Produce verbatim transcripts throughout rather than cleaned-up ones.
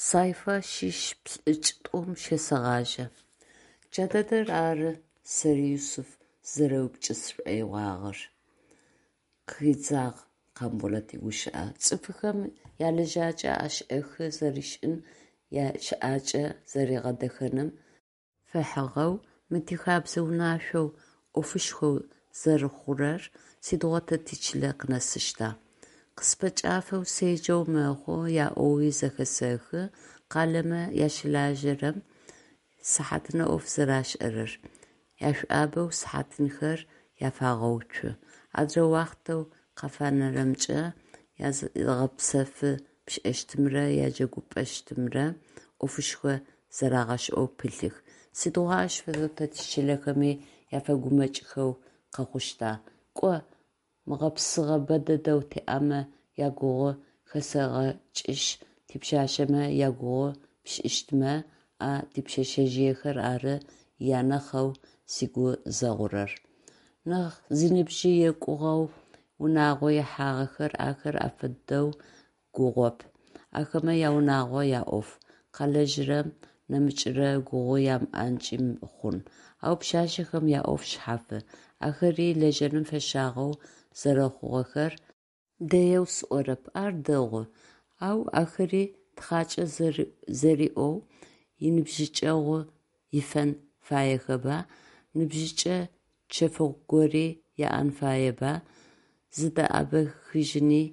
Сайфа шъищ плӏыкӏ-тӏум щесэгъажьэ. Джа дэдэр ары сэри Юсыф сызэреупчӏы сшӏоигъуагъэр, къыхидзагъ Къамболэт игущыӏэ. Цӏыфхэм ялэжьакӏэ ӏэшӏэхы зэришӏын, ящыӏакӏэ зэригъэдэхэным фэхьыгъэу мы тихэбзэ унашъоу ӏофышхо зэрэхъурэр сыдигъо тэ тичылэ къынэсыщта? Къыспэкӏафэу седжэу мэхъу, яӏоуи зэхэсэхы къалэмэ ащылажьэрэм сыхьатынэ ӏоф зэрашӏэрэр, яшӏуабэу сыхьатынэхэр афагъэуцу, адрэ уахътэу къафанэрэмкӏэ языгъэпсэфы пшӏэщтымрэ яджэгупӏэщтымрэ ӏофышхо зэрагъэшӏэу пылъых. Сыдигъо ащ фэдэу тэ тичылэхэми афэгумэкӏхэу къэхъущта? Кӏо, мыгъэпсыгъэ бэ дэдэу тиӏэмэ ягугъу хэсэгъэкӏышъ, типшъашъэмэ ягугъу пшӏыщтмэ, а типшъэшъэжъыехэр ары анахьэу сыгу зэгъурэр. Нахь зыныбжьы екӏугъэу унагъо ихьагъэхэр ахэр афэдэу гугъоп, ахэмэ яунагъо, яӏоф, къалэжьырэм нэмыкӏрэ гугъу ямыӏэнкӏи хъун, ау пшъашъэхэм яӏоф шъхьафы, ахэри лэжьэным фэщагъэу зэрэхъугъэхэр дэеу сӏорэп, ар дэгъу, ау ахэри тхакӏэ зэриӏоу иныбжьыкӏэгъу ифэн фаехэба, ныбжьыкӏэ чэфыгъо гори яӏэн фаеба, зыдэӏэбэхыжьыни,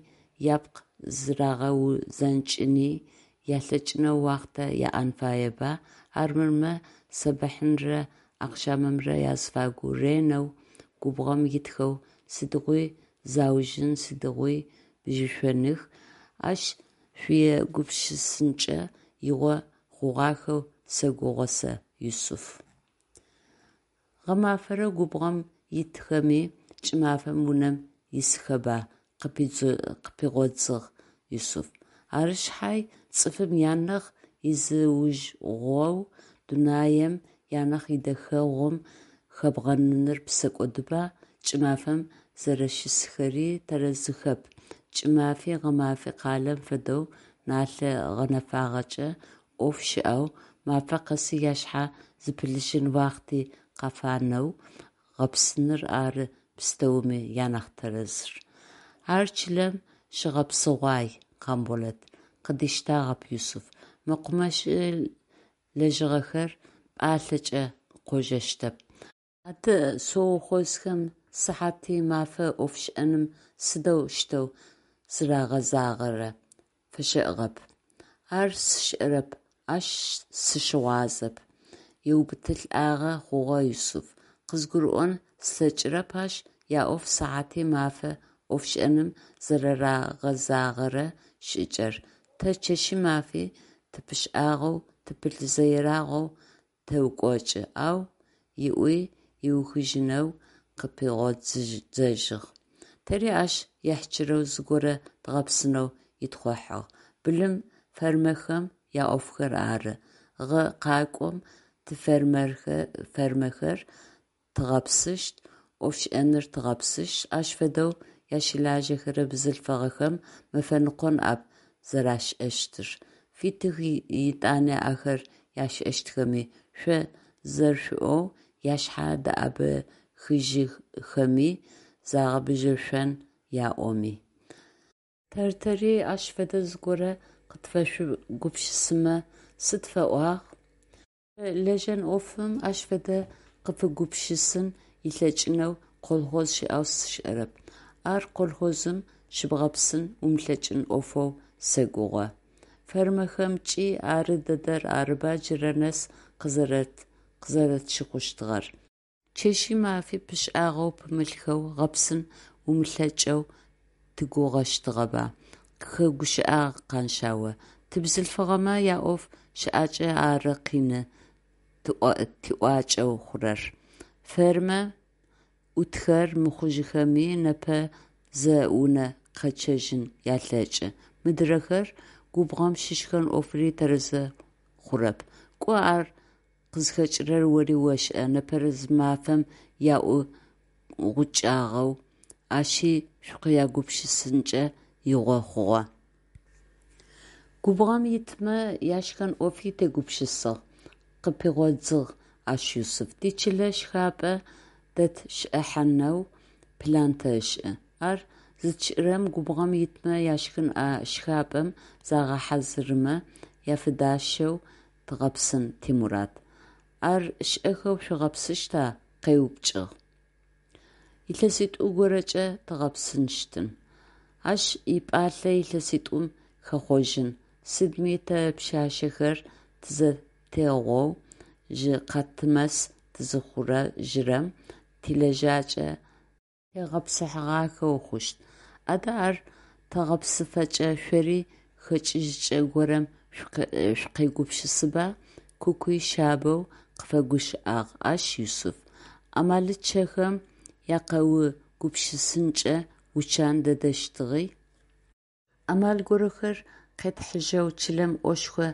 япкъ зырагъэузэнкӏыни ялъэкӏынэу уахътэ яӏэн фаеба, армырмэ сэбэхьынрэ ахъшамымрэ азыфагу ренэу губгъом итхэу сыдигъуи заужьын, сыдигъуи бжьышъоных, ащ шъуегупшысэнкӏэ игъо хъугъахэу сэгугъэ сэ, Юсыф. Гъэмафэрэ губгъом итхэми, кӏымафэм унэм исхэба, къыпигъодзыгъ Юсыф. Ары шъхьай, цӏыфым ианахь изыужьыгъоу, дунаем ианахь идэхэгъум хэбгъэныныр псэкӏодыба, кӏымафэм зэрэщысхэри тэрэзыхэп, кӏымафи гъэмафи къалэм фэдэу налъэ гъэнэфагъэкӏэ ӏоф щыӏэу, мафэ къэси ашъхьэ зыпылъыжьын уахъти къафанэу бгъэпсыныр ары пстэуми анахь тэрэзыр. Ар чылэм щыгъэпсыгъуай, Къамболэт, къыдиштагъэп Юсыф. Мэкъумэщ лэжьыгъэхэр пӏалъэкӏэ къожэщтэп. Адэ совхозхэм сыхьати мафэ ӏофшӏэным сыдэущтэу зырагъэзагъэрэ? Фэщэӏыгъэп. Ар сшӏэрэп, ащ сыщыгъуазэп, еубытылӏагъэ хъугъэ Юсыф. Къызгурыӏон слъэкӏырэп ащ яӏоф сыхьати мафэ ӏофшӏэным зэрэрагъэзагъэрэ шӏыкӏэр, тэ чэщи мафи тыпышӏагъэу тыпылъызэ ерагъэу тэукӏочӏы, ау ыӏуи ыухыжьынэу къыпигъодзыжьыгъ: Тэри ащ ехьщырэу зыгорэ дгъэпсынэу итхъухьагъ, былым фермэхэм яӏофхэр ары. Гъэ къакӏом тифермэхэр дгъэпсыщт, ӏофшӏэныр дгъэпсыщт, ащ фэдэу ащылажьэхэрэ бзылъфыгъэхэм мэфэныкъо ныӏэп зэрашӏэщтыр, фитых етӏани ахэр яшӏэщтхэми, шъо зэршъуӏоу ашъхьэ дэӏэбэхыжьхэми, загъэбыжьышъон яӏоми. Тэр-тэри ащ фэдэ зыгорэ къытфэшъугупшысымэ сыд фэӏуагъ? Лэжьэн ӏофым ащ фэдэ къыфыгупшысын ылъэкӏынэу колхоз щыӏэу сшӏэрэп. Ар колхозым щыбгъэпсын умылъэкӏын ӏофэу сэгугъэ. Фермэхэмкӏи ары дэдэр арыба джырэ нэс къызэрэтщыхъущтыгъэр. Чэщи мафи пышӏагъэу пымылъхэу бгъэпсын умылъэкӏэу тыгугъэщтыгъэба? Къыхэгущыӏагъ Къаншъао. Тибзылъфыгъэмэ яӏоф шӏакӏэ ары къины тиӏуакӏэу хъурэр. Фермэм ӏутхэр мыхъужьыхэми, непэ зэ унэ къэчъэжьын ялъэкӏы. Мыдырэхэр, губгъом щышхэн ӏофри тэрэзэу хъурэп. Кӏо ар къызхэкӏырэр ори ошӏэ, непэрэзымафэм яӏу гъукӏагъэу, ащи шъукъегупшысэнкӏэ игъо хъугъэ. Губгъом итмэ яшхэн ӏофи тегупшысыгъ, – къыпигъодзыгъ ащ Юсыф, – тичылэ шхапӏэ дэтшӏыхьанэу план тэшӏы. Ар зытшӏырэм губгъом итмэ яшхын а шхапӏэм загъэхьазырмэ афыдащэу дгъэпсын тимурад. Ар шӏэхэу шъугъэпсыщта? – къеупчӏыгъ. Илъэситӏу горэкӏэ дгъэпсынщтын. Ащ ипӏалъэ илъэситӏум хэхъожьын, сыдми тэ пшъашъэхэр тызэтегъоу жъы-къатымэс тызыхъужьырэм тилэжьакӏэ тегъэпсыхьагъэхэу хъущт. Адэ ар тэгъэпсыфэкӏэ шъори хэкӏыжьыкӏэ горэм шъукъегупшысыба, – Куки шъабэу къыфэгущыӏагъ ащ Юсыф, – амалыкӏэхэм якъэугупшысынкӏэ учан дэдэщтыгъи. Амал горэхэр къэтхьыжьэу чылэм ӏошхо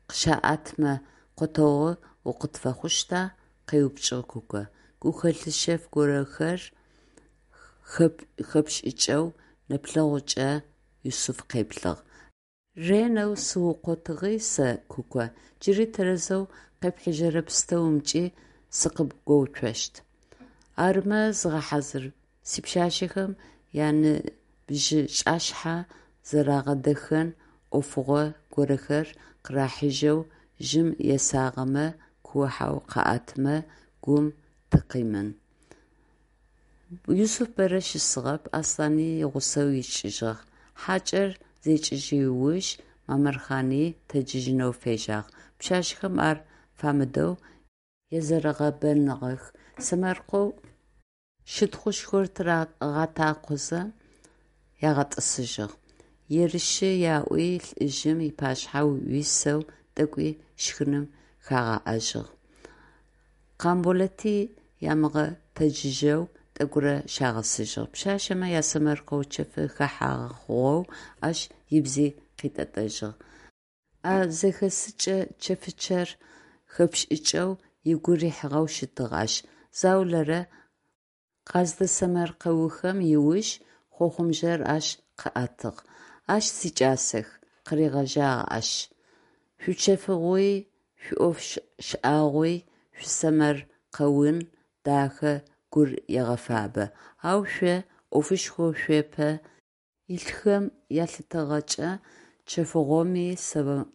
къыщаӏэтмэ къотэгъу укъытфэхъущта? – къеупчӏыгъ Куко, гухэлъ шъэф горэхэр хэпшӏыкӏэу нэплъэгъукӏэ Юсыф къеплъыгъ. Ренэу сыукъотыгъи сэ, Куко, джыри тэрэзэу къепхьыжьэрэ пстэумкӏи сыкъыбгоуцощт. Арымэ зыгъэхьазыр, сипшъашъэхэм яныбжьыкӏашъхьэ зэрагъэдэхэн ӏофыгъо горэхэр къырахьыжьэу жьым есагъэмэ куо-хьау къаӏэтымэ гум тыкъимын. Юсыф бэрэ щысыгъэп, Аслъани игъусэу икӏыжьыгъ. Хьакӏэр зекӏыжь уж Мамырхъани тэджыжьынэу фежьагъ. Пшъашъэхэм ар фамыдэу езэрэгъэбэныгъэх, сэмэркъэу щытхъушхор тырагъэтакъозэ, агъэтӏысыжьыгъ. Ерышъы яӏуи, лӏыжъым ыпашъхьэ уисэу тӏэкӏуи шхыным хагъэӏэжьыгъ. Къамболэти ямыгъэтэджыжьэу тӏэкӏурэ щагъэсыжьыгъ. Пшъашъэмэ ясэмэркъэу чэфы хэхьагъэ хъугъэу ащ ыбзи къитӏэтӏэжьыгъ. А зэхэсыкӏэ чэфычъэр хэпшӏыкӏэу ыгу рихьыгъэу щытыгъ ащ. Заулэрэ къаздэсэмэркъэухэм ыуж, хъохъубжъэр ащ къыӏэтыгъ. «Ащ, сикӏасэх, – къыригъэжьагъ ащ, – шъуичэфыгъуи, шъуиӏоф шӏагъуи, шъуисэмэркъэун дахэ гур егъэфабэ. Ау шъо ӏофышхоу шъуапэ илъхэм ялъытыгъэкӏэ чэфыгъоми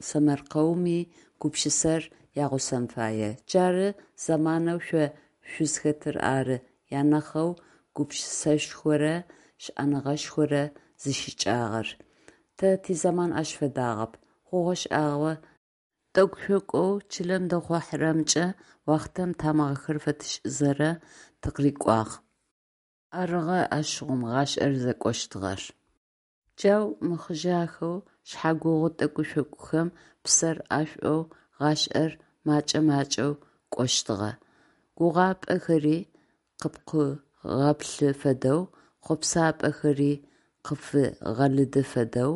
сэмэркъэуми гупшысэр ягъусэн фае. Джары зэманэу шъо шъузхэтыр ары анахьэу гупшысэшхорэ шӏэныгъэшхорэ зищыкӏагъэр. Тэ тизэман ащ фэдагъэп. Хъугъэ-шӏэгъэ тӏэкӏу-шъокӏоу чылэм дэхъухьэрэмкӏэ уахътэм тамыгъэхэр фэтшӏызэрэ тыкъырыкӏуагъ. Арыгъэ ащыгъум гъашӏэр зыкӏощтыгъэр. Джау мыхъыжъахэу, шъхьэгугъу тӏэкӏу-шъокӏухэм псэр ӏэшӏоу гъашӏэр макӏэ-макӏэу кӏощтыгъэ. Гугъапӏэхэри къыпкъугъэплъы фэдэу, хъопсапӏэхэри къыпфигъэлыды фэдэу,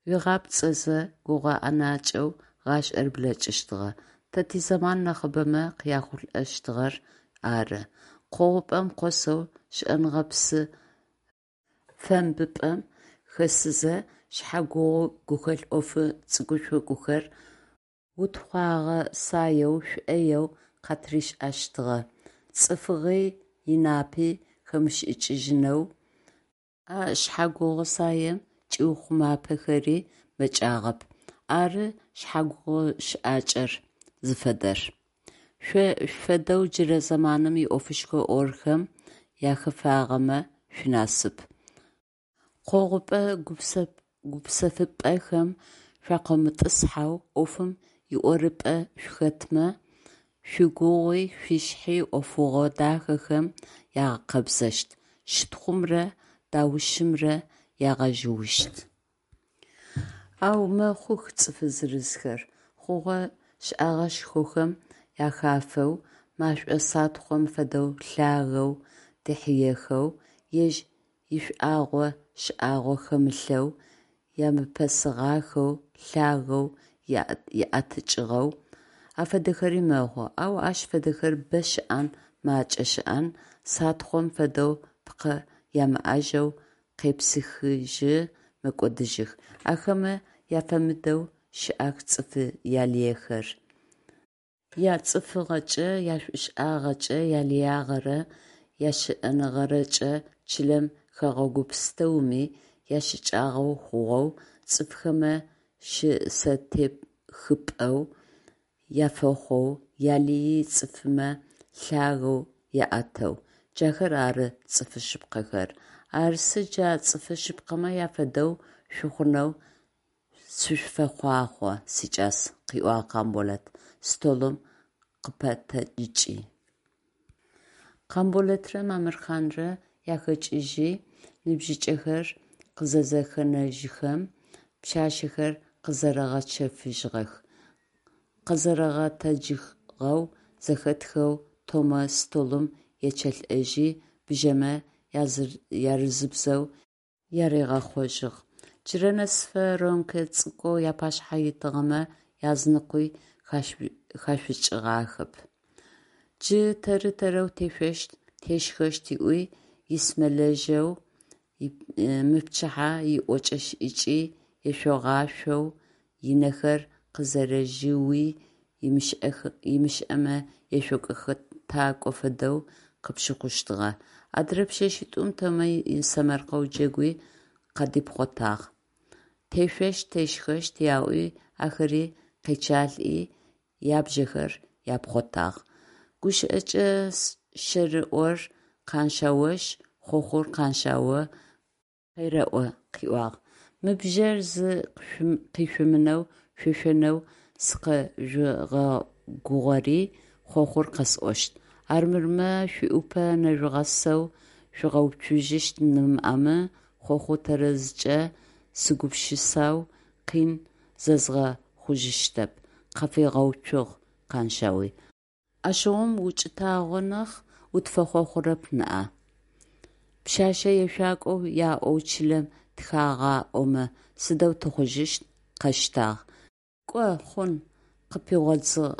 уигъапцӏэзэ гугъэ ӏэнакӏэу гъашӏэр блэкӏыщтыгъэ. Тэ тизэман нахьыбэмэ къяхъулӏэщтыгъэр ары. Къогъупӏэм къосэу, щыӏэныгъэ псы фэмбыпӏэм хэсызэ, шъхьэгугъу гухэлъ ӏофы цӏыкӏу-шъокӏухэр утхъуагъэ саеу, шӏоеу къатришӏэщтыгъэ, цӏыфыгъи инапи хэмышӏыкӏыжьынэу а шъхьэгугъу саем чӏиухъумапэхэри мэкӏагъэп. Ары шъхьэгугъу щыӏакӏэр зыфэдэр. Шъо шъуфэдэу джырэ зэманым иӏофышхо ӏорхэм ахэфагъэмэ шъуинасып. Къогъупӏэ гупсэфыпӏэхэм шъуакъомытӏысхьэу, ӏофым иӏорыпӏэ шъухэтмэ, шъуигугъуи шъуишъхьи ӏофыгъо дахэхэм ягъэкъэбзэщт, щытхъумрэ даушымрэ ягъэжъыущт. Ау мэхъух цӏыфы зырызхэр, хъугъэ-шӏэгъэшхохэм ахафэу, машӏо сатхъом фэдэу лъагэу дихьыехэу, ежь ишӏуагъо шӏагъо хэмылъэу, ямыпэсыгъахэу лъагэу иӏэтыкӏыгъэу, афэдэхэри мэхъу, ау ащ фэдэхэр бэ щыӏэн макӏэ щыӏэн, сатхъом фэдэу пкъэ ямыӏэжьэу къепсыхыжьы мэкӏодыжьых, ахэмэ Яфэмыдэу щыӏэх цӏыфы ялыехэр, яцӏыфыгъэкӏэ, яшӏушӏагъэкӏэ, ялыягъэрэ ящыӏэныгъэрэкӏэ чылэм, хэгъэгу пстэуми ящыкӏагъэ хъугъэу, цӏыфхэмэ щысэтехыпӏэу афэхъоу, ялыий цӏыфымэ лъагэу аӏэтэу. Джахэр ары цӏыфы шъыпкъэхэр. Арысы джа цӏыфы шъыпкъэмэ афэдэу шъухъунэу сышъуфэхъуахъо, сикӏас, – къыӏуагъ Къамболэт, столым къыпэтэджыкӏи. Къамболэтрэ Мамырхъанрэ яхэкӏыжьи ныбжьыкӏэхэр къызызэхэнэжьхэм, пшъашъэхэр къэзэрэгъэчэфыжьыгъэх. Къэзэрэгъэтэджыгъэу зэхэтхэу Томэ столым ечъэлӏэжьи, бжъэмэ ярызыбзэу яригъэхъожьыгъ. Джырэ нэсыфэ рюмкэ цӏыкӏоу апашъхьэ итыгъэмэ языныкъуи хашъукӏыгъахэп. Джы тэр-тэрэу тешъощт, тешхэщт, ыӏуи исмэлэжьэу, мыпчыхьэ иӏокӏэ-шӏыкӏи ешъогъашъоу, ынэхэр къызэрэжъыуи ымышӏэмэ ешъокӏо-хэтэкӏо фэдэу къыпщыхъущтыгъэ. Адырэ пшъэшъитӏум Томэ исэмэркъэу джэгуи къадипхъотагъ: тешъощт, тешхэщт аӏуи, ахэри къечъалӏи, ябжъэхэр апхъотагъ. Гущыӏэкӏэ щэрыор Къаншъаошъ, хъохъур Къаншъао къерэӏу къыӏуагъ: «Мы бжъэр зи къишъумынэу шъуешъонэу сыкъэжъугъэгугъэри, хъохъур къэсӏощт. Армырмэ шъуӏупэ нэжъугъэсэу жъугъэуцужьыщт нэмыӏэмэ, хъохъу тэрэзкӏэ сыгупшысэу къин зэзгъэхъужьыщтэп», – къафигъэуцугъ Къаншъауи. Ащыгъум укӏытагъо нахь, утфэхъохъурэп ныӏа? Пшъашъэ ешъуакӏоу яӏэу чылэм тыхагъаӏомэ сыдэу тыхъужьыщт? – Къэщтагъ. Кӏо, хъун, – къыпигъодзыгъ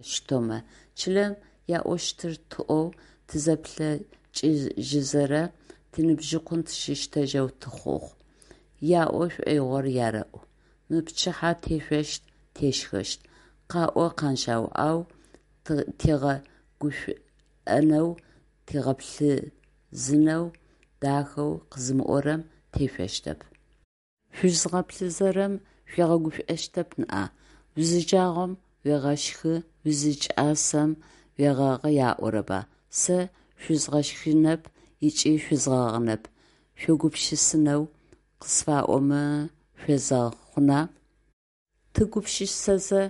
ащ Томэ. Чылэм яӏощтыр тӏоу тызэплъэкӏыжьызэрэ тиныбжьыкъун тыщыщтэжьэу тыхъугъ. Яӏо шӏоигъор ярэӏу. Мыпчыхьэ тешъощт, тешхэщт. Къаӏо, Къаншъау, ау тигъэгушӏонэу, тигъэплъызынэу дахэу къэзымыӏорэм тешъощтэп. Шъузгъэплъызэрэм шъуигъэгушӏощтэп ныӏа? Узиджагъом уегъэщхы, узикӏасэм уегъэгъы аӏорэба? Сэ шъузгъэщхынэп ыкӏи шъузгъэгъынэп, шъуегупшысэнэу къысфаӏомэ шъуезэгъ хъуна? Тыгупшысэзэ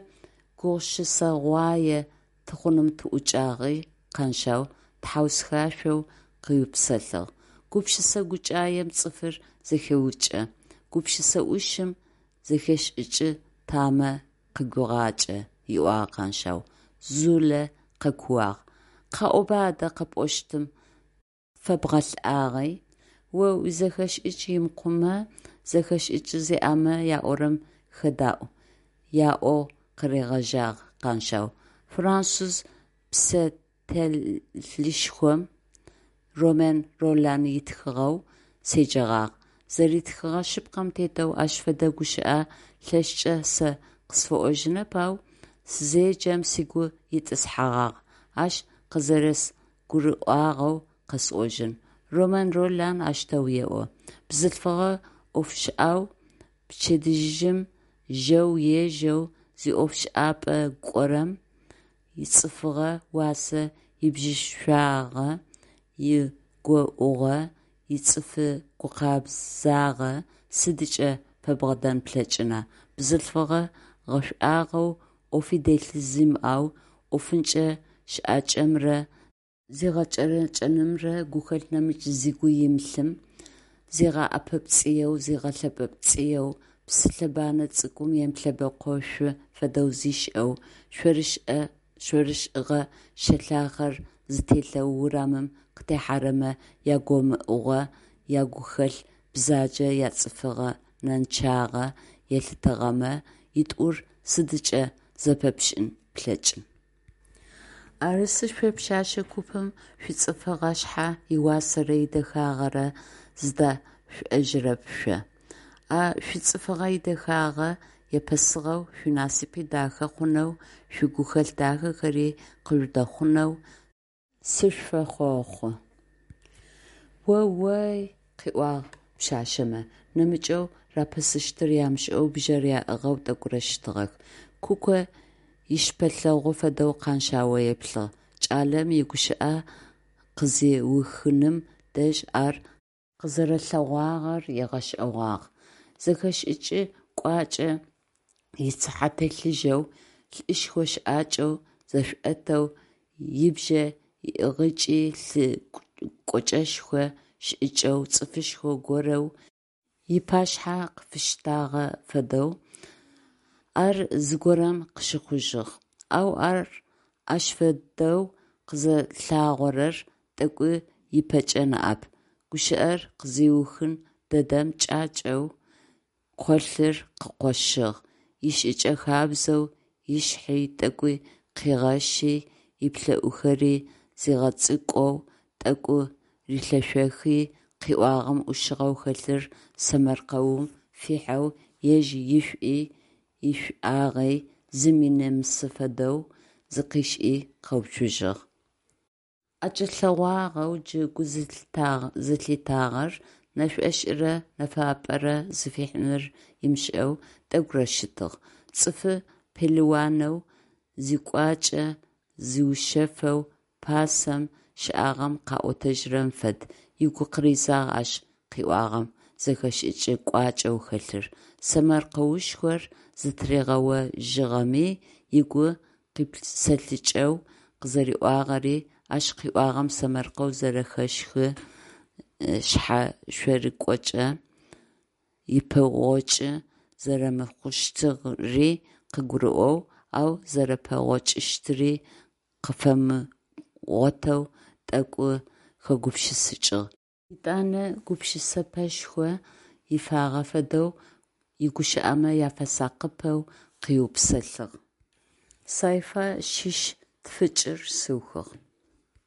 гугъусыгъуае тыхъуным тыӏукӏагъи, Къаншъау тхьаусхашъоу къыупсэлъыгъ. Гупшысэ гукӏаем цӏыфыр зэхеукӏэ, гупшысэ ӏушым зэхэшӏыкӏы тамэ къыгуегъакӏэ, – ыӏуагъ Къаншъау. Зулэ къэкууагъ: Къаӏоба адэ къэпӏощтым, тфэбгъэлӏагъи! О уизэхэшӏыкӏ имыкъумэ, зэхэшӏыкӏ зиӏэмэ яӏорэм хэдаӏу, – яӏогъу къыригъэжьагъ Къаншъау. Француз писателышхом Ромен Ролан итхыгъэу седжэгъагъ. Зэритхыгъэ шъыпкъэм тетэу ащ фэдэ гущыӏэ лъэшкӏэ сэ къысфэӏожьынэп, ау сызеджэм сыгу итӏысхьэгъагъ, ащ къызэрэзгурыӏуагъэу къэсӏожьын. Ромен Ролан аущтэу еӏо: Бзылъфыгъэ ӏофышӏэу пчэдыжьым жьэу ежьэу зиӏофшӏапӏэ кӏорэм ицӏыфыгъэ уасэ ибжьышъуагъэ, игоуӏугъэ, ицӏыфы гукъэбзагъэ сыдыкӏэ фэбгъэдэн плъэкӏына бзылъфыгъэ гъэшӏуагъэу, ӏофи дели зимыӏэу, ӏофынчъэ щыӏакӏэмрэ зигъэкӏэрэкӏэнымрэ гухэлъ нэмыкӏ зыгу имылъым, зигъэӏэпэпцӏыеу, зигъэлъэпэпцӏыеу, псы лъэбанэ цӏыкӏум емылъэбэкъошъу фэдэу зишӏэу, шъорышӏыгъэ щэлъахъэр зытелъэу урамым къытехьэрэмэ ягомыӏугъэ, ягухэлъ бзаджэ, яцӏыфыгъэнэнчъагъэ елъытыгъэмэ, итӏур сыдыкӏэ зэпэпшӏын плъэкӏын? Арысы шъо пшъэшъэ купым шъуицӏыфыгъэ шъхьэ ыуасэрэ идэхагъэрэ зыдашъушӏэжьырэп шъо. А шъуицӏыфыгъэ идэхагъэ епэсыгъэу шъуинасыпи дахэ хъунэу, шъуигухэлъ дахэхэри къыжъудэхъунэу сышъуфэхъохъу! О-о-ой, къыӏуагъ пшъашъэмэ, нэмыкӏэу рапэсыщтыр ямышӏэу бжъэр аӏыгъэу тӏэкӏурэ щытыгъэх. Куко ищыпэлъэгъу фэдэу Къаншъао еплъыгъ. Кӏалэм игущыӏэ къызиухыным дэжь ар къызэрэлъэгъуагъэр ыгъэшӏэгъуагъ. Зэхэшӏыкӏ кӏуачӏэ ицыхьэ телъыжьэу, лӏышхо щыӏакӏэу зэшӏотэу, ибжъэ иӏыгъыкӏи лӏы кӏочӏэшхо шӏыкӏэу, цӏыфышхо горэу ыпашъхьэ къыфиштагъэ фэдэу ар зыгорэм къыщыхъужьыгъ, ау ар ащ фэдэу къызэлъагъорэр тӏэкӏу ыпэкӏэ ныӏэп. Гущыӏэр къызиухын дэдэм кӏакӏэу къолъыр къыкъощыгъ, ишӏыкӏэ хабзэу ышъхьи тӏэкӏуи къыхигъэщи, ыплӏэӏухэри зигъэцӏыкӏоу тӏэкӏу рилъэшъохи, къыӏуагъэм ӏушыгъэу хэлъыр сэмэркъэум фихьэу, ежь ишӏуи ишӏуагъи зыми нэмысы фэдэу зыкъишӏи къэуцужьыгъ. ӀэкӀэлъэгъуагъэу джы гу зылъитагъэр нэшӀошӀырэ нэфапӀэрэ зыфихьынур ымышӀэу тӀэкӀурэ щытыгъ. ЦӀыфы пелыуанэу, зикӀуачӀэ зиушъэфэу пасэм щыӀагъэм къыӀотэжьырэм фэд, ыгу къыридзагъ ащ къыӏуагъэм зэхэшӀыкӀ кӀуачӀэу хэлъыр, сэмэркъэушхор зытыригъэожьыгъэми, ыгу къипсэлъыкӀэу къызэриӀуагъэри, ащ къыӀуагъэм сэмэркъэу зэрэхэщхы шъхьэшъорыкӀокӀэ упэгъокӀы зэрэмыхъущтыри къыгурыӀоу, ау зэрэпэгъокӀыщтыри къыфэмыгъотэу тӀэкӀу хэгупшысыкӀыгъ, етӀанэ гупшысэпэшхо ифагъэ фэдэу игущыӀэмэ афэсакъыпэу къыупсэлъыгъ. Сайфа шъищ тфыкӏыр сыухыгъ.